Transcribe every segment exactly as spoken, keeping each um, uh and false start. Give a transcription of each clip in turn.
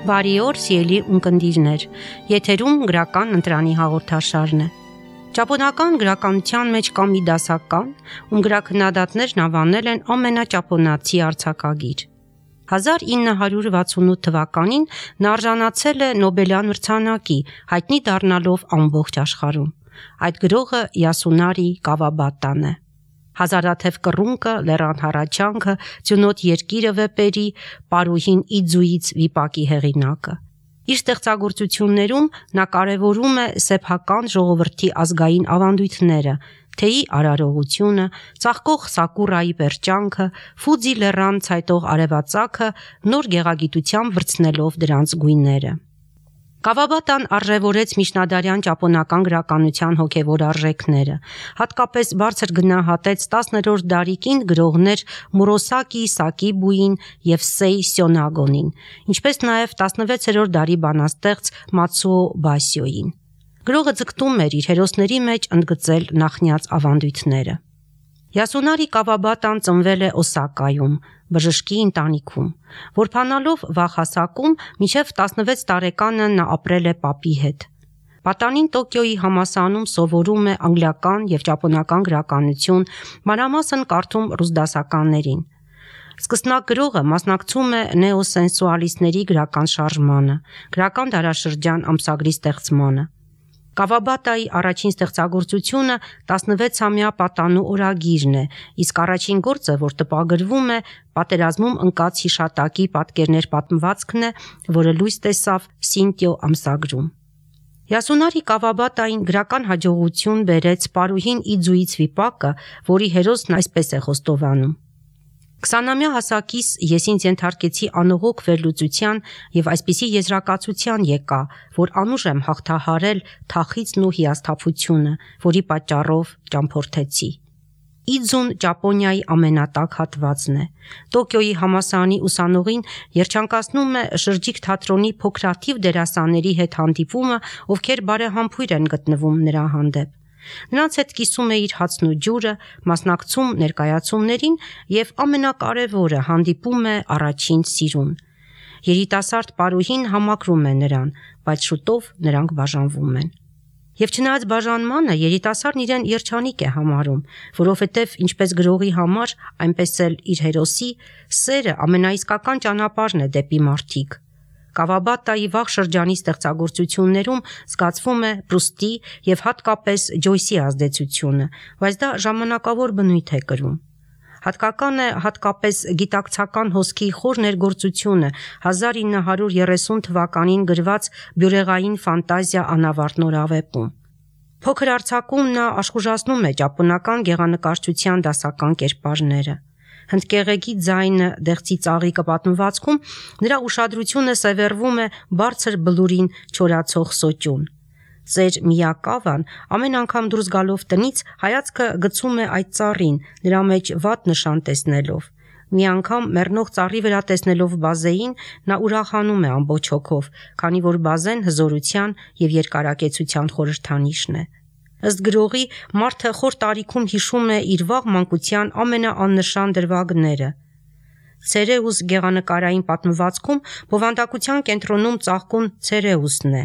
Բարի օր, սիրելի ունկնդիրներ, եթերում գրական ընտրանի հաղորդաշարն է։ Ճապոնական գրականության մեջ կա մի դասական, ում գրաքննադատներն անվանել են ամենաճապոնացի արձակագիր։ հազար ինը հարյուր վաթսունութ թվականին նա արժանացել է Նոբելյան մրցանակի, հայտնի դառնալով ամբողջ աշխարհում։ Այդ գրողը Յասունարի Կավաբատան է։ Հազարաթև կռունկը, լեռան հառաչանքը, ձյունոտ երկիրը վեպերի, Պարուհին Իձուից վիպակի հեղինակը։ Իր ստեղծագործություններում նա կարևորում է սեփական ժողովրդի ազգային ավանդույթները, թեյի արարողությունը, ծաղկող սակուրայի պերճանքը, Ֆուձի լեռան ցայտող արևածագը, նոր գեղագիտությամբ վրձնելով դրանց գույները։ Կավաբատան արժևորեց միջնադարյան ճապոնական գրականության հոգևոր արժեքները, հատկապես բարձր գնահատեց տասներորդ դարի կին գրողներ Մուրոսակի Սակիբուին և Սեյ Սյոնագոնին, ինչպես նաև տասնվեցերորդ դարի բանաստեղծ Մացուո Բասյոյին։ Գրողը ձգտում էր իր հերոսների մեջ ընդգծել նախնյաց ավանդույթները։ Յասունարի Կավաբատան ծնվել է Օսակայում, բժշկի ընտանիքում, որբանալով վաղ հասակում մինչև տասնվեց տարեկանը նա ապրել է պապի հետ։ Պատանին Տոկիոյի համալսարանում սովորում է անգլիական և ճապոնական գրականություն, մանրամասն կարդում ռուս դասականներին։ Սկսնակ գրողը մասնակցում է նեոսենսուալիստների գրական շարժմանը, գրական դարաշրջան ամսագրի ստեղծմանը։ Կավաբատայի առաջին ստեղծագործությունը տասնվեցամյա պատանու օրագիրն է, իսկ առաջին գործը, որ տպագրվում է, պատերազմում ընկած հիշատակի պատկերներ պատմվածքն է, որը լույս տեսավ Սինտիո ամսագրում։ Յասունարի Կավաբատային գրական հաջողություն բերեց Պարուհին Իձուից վիպակը, որի հերոսն այսպես է խոստովանում. Քսանամյա հասակիս ես ինձ ենթարկեցի անողոք վերլուծության և այսպիսի եզրակացության եկա, որ անուժ եմ հաղթահարել թախիծն ու հիասթափությունը, որի պատճառով ճամփորդեցի։ Իձուն Ճապոնիայի ամենատաք հատվածն է։ Տոկիոյի համալսարանի ուսանողին երջանկացնում է շրջիկ թատրոնի փոքրաթիվ դերասանների հետ հանդիպումը, ովքեր բարեհամբույր են գտնվում նրա հանդեպ։ Նրանց հետ կիսում է իր հացն ու ջուրը, մասնակցում ներկայացումներին և ամենակարևորը հանդիպում է առաջին սիրուն։ Երիտասարդ Պարուհին համակրում է նրան, բայց շուտով նրանք բաժանվում են։ Եվ չնայած բաժանմանը, երիտասարդն իրեն երջանիկ է համարում, որովհետև ինչպես գրողի համար, այնպես էլ իր հերոսի, սերը ամենաիսկական ճանապարհն է դեպի մարդիկ։ Կավաբատայի վաղ շրջանի ստեղծագործություններում զգացվում է Պրուստի և հատկապես Ջոյսի ազդեցությունը, բայց դա ժամանակավոր բնույթ է կրում։ Հատկական է հատկապես գիտակցական հոսքի խոր ներգործությունը հազար ինը հարյուր երեսուն թվականին գրված բյուրեղային ֆանտազիա անավարտ նորավեպում։ Փոքր արձակում նա աշխուժացնում է ճապոնական գեղանկարչության դասական կերպարները։ Հնդկեղեգի ձայնը, դեղցի ծաղիկը պատմվածքում նրա ուշադրությունը սևեռվում է բարձր բլուրին չորացող սոճուն։ Ծեր Միյակավան ամեն անգամ դուրս գալով տնից հայացքը գցում է այդ ծառին, նրա մեջ վատ նշան տեսնելով։ Մի անգամ մեռնող ծառի վրա տեսնելով բազեին, նա ուրախանում է ամբողջ հոգով, քանի որ բազեն հզորության և երկարակեցության խորհրդանիշն է։ Ըստ գրողի, մարդը խոր տարիքում հիշում է իր վաղ մանկության ամենաաննշան դրվագները։ Ցերեուս գեղանկարային պատմվածքում բովանդակության կենտրոնում ծաղկուն Ցերեուսն է։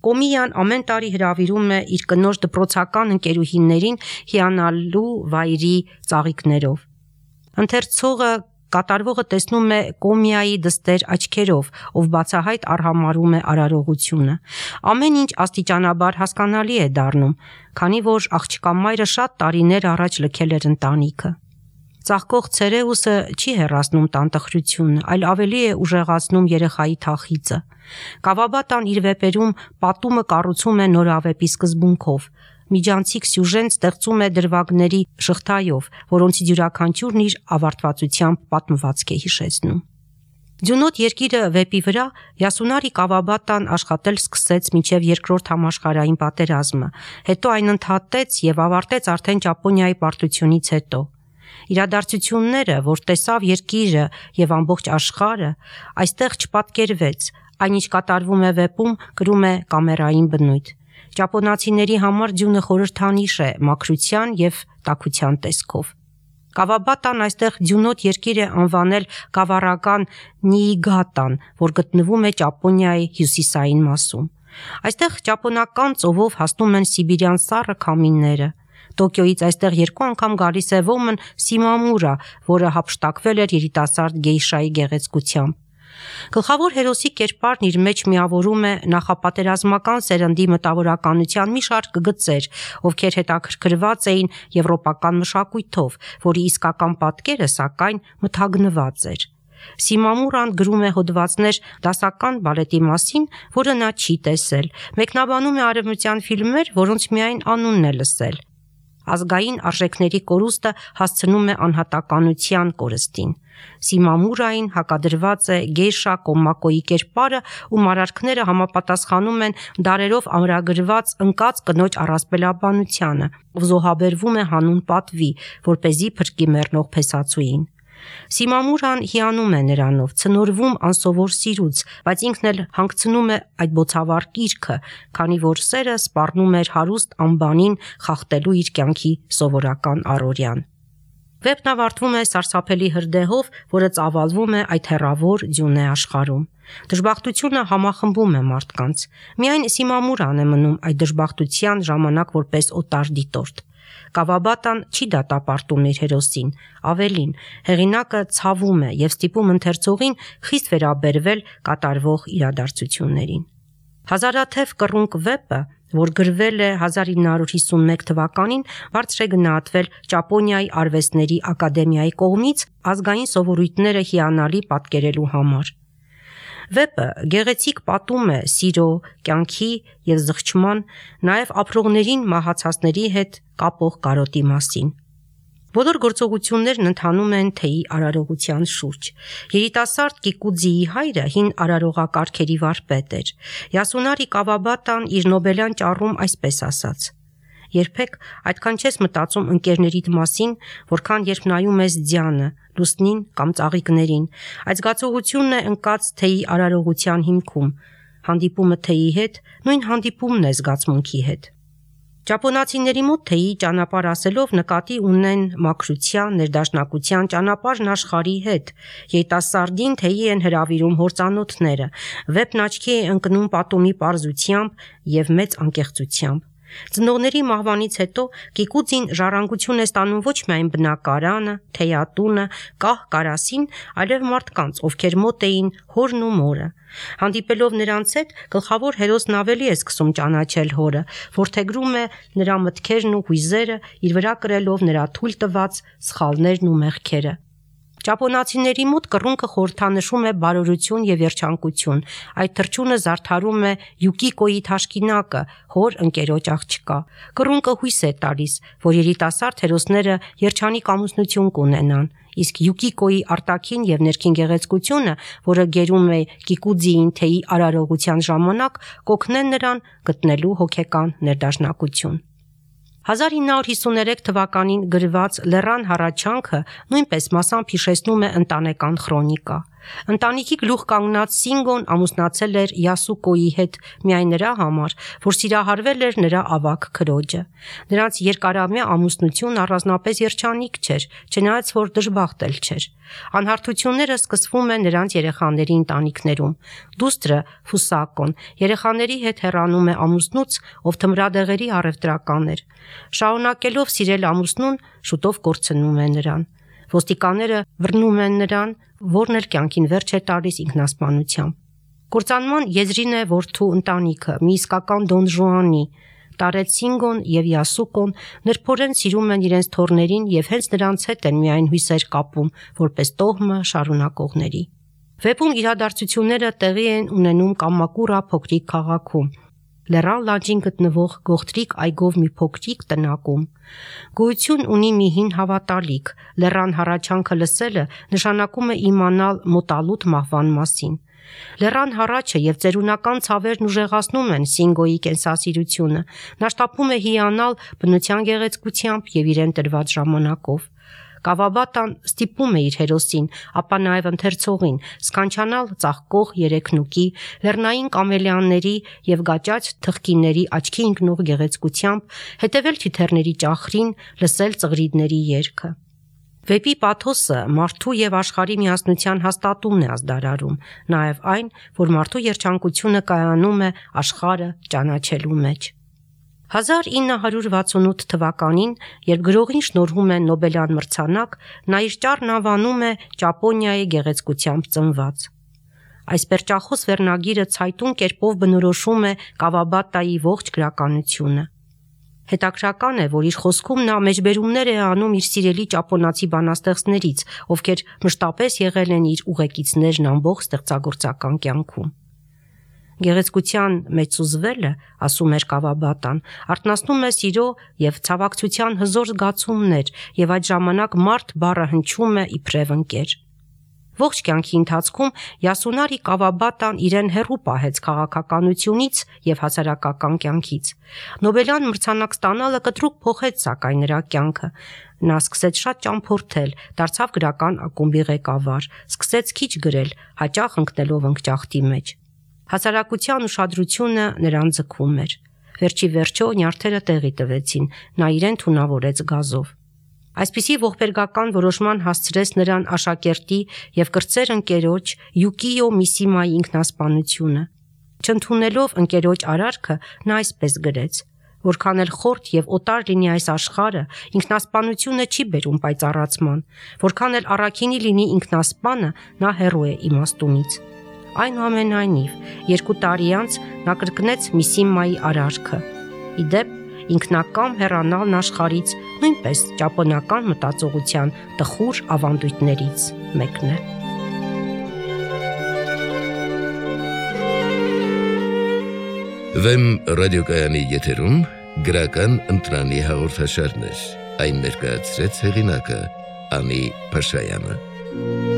Կոմիյան ամեն տարի հրավիրում է իր կնոջ դպրոցական ընկերուհիներին հիանալու վայրի ծաղիկներով։ Ընթերցողը կատարվողը տեսնում է Կոմիայի դստեր աչքերով, ով բացահայտ արհամարհում է արարողությունը։ Ամեն ինչ աստիճանաբար հասկանալի է դառնում, քանի որ աղջկա մայրը շատ տարիներ առաջ լքել էր ընտանիքը։ Ծաղկող Ցերեուսը չի հեռացնում տանտխրությունը, այլ ավելի է ուժեղացնում երեխայի թախիծը։ Կավաբատան իր վեպերում պատումը կառուցում է նորավեպի սկզբունքով։ Միջանցիկ սյուժեն ստեղծում է դրվագների շղթայով, որոնցից յուրաքանչյուրն իր ավարտվածությամբ պատմվածք է հիշեցնում։ Ձյունոտ երկիրը վեպի վրա Յասունարի Կավաբատան աշխատել սկսեց մինչև երկրորդ համաշխարհային պատերազմը, հետո այն ընդհատեց և ավարտեց արդեն Ճապոնիայի պարտությունից հետո։ Իրադարձությունները, որ տեսավ երկիրը և ամբողջ աշխարհը, այստեղ չպատկերվեց, այն ինչ կատարվում է վեպում, կրում է կամերային բնույթ։ Ճապոնացիների համար ձյունը խորհրդանիշ է մաքրության և տաքության տեսքով։ Կավաբատան այստեղ ձյունոտ երկիր է անվանել գավառական Նիիգատան, որ գտնվում է Ճապոնիայի հյուսիսային մասում։ Այստեղ ճապոնական ծովով հասնում են սիբիրյան սառը քամիները։ Տոկիոյից այստեղ երկու անգամ գալիս է ոմն Սիմամուրա, որը հափշտակվել էր երիտասարդ գեյշայի գեղեցկությամբ։ Գլխավոր հերոսի կերպարն իր մեջ միավորում է նախապատերազմական սերնդի մտավորականության մի շարք գծեր, ովքեր հետաքրքրված էին եվրոպական մշակույթով, որի իսկական պատկերը սակայն մթագնված էր։ Սիմամուրան գրում է հոդվածներ դասական բալետի մասին, որը նա չի տեսել, մեկնաբանում է արևմտյան ֆիլմեր, որոնց միայն անունն է լսել։ Ազգային արժեքների կորուստը հասցնում է անհատականության կորստին։ Սիմամուրային հակադրված է գեյշա Կոմակոյի կերպարը, ում արարքները համապատասխանում են դարերով ամրագրված ընկած կնոջ առասպելաբանությանը, ով զոհաբերվում է հանուն պատվի, որպեսզի փրկի մեռնող փեսացուին։ Սիմամուրան հիանում է նրանով, ցնորվում անսովոր սիրուց, բայց ինքն էլ հանգցնում է այդ բոցավառ կիրքը, քանի որ սերը սպառնում էր հարուստ անբանին խախտելու իր կյանքի սովորական առօրյան։ Վեպն ավարտվում է սարսափելի հրդեհով, որը ծավալվում է այդ հեռավոր ձյունե աշխարհում։ Դժբախտությունը համախմբում է մարդկանց։ Միայն Սիմամուրան է մնում այդ դժբախտության ժամանակ որպես օտար դիտորդ։ Կավաբատան չի դատապարտում իր հերոսին, ավելին, հեղինակը ցավում է եւ ստիպում ընթերցողին խիստ վերաբերվել կատարվող իրադարձություններին։ Հազարաթև կռունկ վեպը, որ գրվել է հազար ինը հարյուր հիսունմեկ թվականին, բարձր է գնահատվել Ճապոնիայի արվեստների ակադեմիայի կողմից ազգային սովորույթները հիանալի պատկերելու համար։ Վեպը գեղեցիկ պատում է սիրո, կյանքի եւ զղջման, նաեւ ապրողներին մահացածների հետ կապող կարոտի մասին։ Բոլոր գործողություններն ընթանում են թեյի արարողության շուրջ։ Երիտասարդ Կիկուձիի հայրը հին արարողակարգերի վարպետ էր։ Յասունարի Կավաբատան իր նոբելյան ճառում այսպես ասաց. «Երբեք այդքան չես մտածում ընկերներիդ մասին, որքան երբ նայում ես ձյանը, լուսնին կամ ծաղիկներին։ Այդ զգացողությունն է ընկած թեյի արարողության հիմքում։ Հանդիպումը թեյի հետ նույն հանդիպումն է զգացմունքի հետ»։ Ճապոնացիների մոտ թեյի ճանապարհ ասելով նկատի ունեն մաքրության, ներդաշնակության ճանապարհն աշխարհի հետ։ Երիտասարդին թեյի են հրավիրում հործանոթները։ Վեպն աչքի է ընկնում պատումի պարզությամբ եւ մեծ անկեղծությամբ։ Ծնողների մահվանից հետո Կիկուձին ժառանգություն է ստանում ոչ միայն բնակարանը, թեյատունը, կահ կարասին, այլև մարդկանց, ովքեր մոտ էին հորն ու մորը։ Հանդիպելով նրանց հետ, գլխավոր հերոսն ավելի է սկսում ճանաչել հորը, որդեգրում է նրա մտքերն ու հույզերը, իր վրա կրելով նրա թույլ տված սխալներն ու մեղքերը։ Ճապոնացիների մոտ կռունկը խորհրդանշում է բարօրություն եւ երջանկություն։ Այդ թռչունը զարդարում է Յուկիկոյի թաշկինակը, հոր ընկերոջ աղջկա։ Կռունկը հույս է տալիս, որ երիտասարդ հերոսները երջանիկ ամուսնություն կունենան, իսկ Յուկիկոյի արտաքին եւ ներքին գեղեցկությունը, որը գերում է Կիկուձիին թեյի արարողության ժամանակ, կօգնեն նրան գտնելու հոգեկան ներդաշնակություն։ հազար ինը հարյուր հիսուներեք թվականին գրված Լեռան հառաչանքը նույնպես մասամբ հիշեցնում է ընտանեկան քրոնիկա։ Ընտանիքի գլուխ կանգնած Սինգոն ամուսնացել էր Յասուկոյի հետ միայն նրա համար, որ սիրահարվել էր նրա ավագ քրոջը։ Նրանց երկարամյա ամուսնությունն առանձնապես երջանիկ չէր, չնայած որ դժբախտ էլ չէր։ Անհարթությունները սկսվում են նրանց երեխաների ընտանիքներում։ Դուստրը Ֆուսակոն երեխաների հետ հեռանում է ամուսնուց, ով թմրադեղերի առևտրական էր։ Շարունակելով սիրել ամուսնուն, շուտով կորցնում է նրան։ Ոստիկանները բռնում են նրան, որն էլ կյանքին վերջ է տալիս ինքնասպանությամբ։ Կործանման եզրին է որդու ընտանիքը, մի իսկական Դոն Ժուանի։ Տարեց Սինգոն եւ Յասուկոն նրբորեն սիրում են իրենց թոռներին եւ հենց նրանց հետ են միայն հույսեր կապում, որպես տոհմը շարունակողների։ Վեպում իրադարձությունները տեղի են ունենում Կամակուրա փոքրիկ քաղաքում, Լեռան լանջին գտնվող գողտրիկ այգով մի փոքրիկ տնակում։ Գոյություն ունի մի հին հավատալիք, Լեռան հառաչանքը լսելը նշանակում է իմանալ մոտալուտ մահվան մասին։ Լեռան հառաչը եւ ծերունական ցավերն ուժեղացնում են Սինգոյի կենսասիրությունը։ Նա շտապում է հիանալ բնության գեղեցկությամբ եւ իրեն տրված ժամանակով։ Կավաբատան ստիպում է իր հերոսին, ապա նաև ընթերցողին սքանչանալ ծաղկող երեքնուկի, լեռնային կամելիաների եւ գաճաճ թխկիների աչքի ընկնող գեղեցկությամբ, հետևել թիթեռների ճախրին, լսել ծղրիդների երգը։ Վեպի պաթոսը մարդու եւ աշխարհի միասնության հաստատումն է ազդարարում, նաեւ այն, որ մարդու երջանկությունը կայանում է աշխարհը ճանաչելու մեջ։ հազար ինը հարյուր վաթսունութ թվականին, երբ գրողին շնորհում են Նոբելյան մրցանակ, նա իր ճառն անվանում է Ճապոնիայի գեղեցկությամբ ծնված։ Այս պերճախոս վերնագիրը ցայտուն կերպով բնորոշում է Կավաբատայի ողջ գրականությունը։ Հետաքրական է, որ իր խոսքում նա մեջբերումներ է անում իր սիրելի ճապոնացի բանաստեղծներից, ովքեր մշտապես եղել են իր ուղեկիցներն ամբողջ ստեղծագործական կյանքում։ Գեղեցկության մեջ սուզվելը, ասում էր Կավաբատան, արթնացնում է սիրո եւ ցավակցության հզոր զգացումներ, եւ այդ ժամանակ մարդ բառը հնչում է իբրև ընկեր։ Ողջ կյանքի ընթացքում Յասունարի Կավաբատան իրեն հեռու պահեց քաղաքականությունից եւ հասարակական կյանքից։ Նոբելյան մրցանակ ստանալը կտրուկ փոխեց սակայն նրա կյանքը։ Նա սկսեց շատ ճամփորդել, դարձավ գրական ակումբի ղեկավար, սկսեց քիչ գրել, հաճախ ընկնելով ընկճախտի մեջ։ Հասարակության ուշադրությունը նրան ձգում էր։ Վերջի վերջո նյարդերը տեղի տվեցին, նա իրեն թունավորեց գազով։ Այսպիսի ողբերգական որոշման հասցրեց նրան աշակերտի եւ կրտսեր ընկերոջ Յուկիո Միսիմայի ինքնասպանությունը։ Չընդունելով ընկերոջ արարքը, նա այսպես գրեց. որքան էլ խորթ եւ օտար լինի այս աշխարհը, ինքնասպանությունը չի բերում պայծառացման, որքան էլ առաքինի լինի ինքնասպանը, նա հեռու է իմաստունից։ Այնուամենայնիվ, երկու տարի անց նա կրկնեց Միսիմայի արարքը։ Իդեպ, ինքնակամ հեռանալն աշխարհից նույնպես ճապոնական մտածողության տխուր ավանդույթներից մեկն է։ Վեմ ռադիոկայանի եթերում գրական ընտրանի հաղորդաշարներ, այն ներկայացրեց հեղինակը Անի Փաշայանը։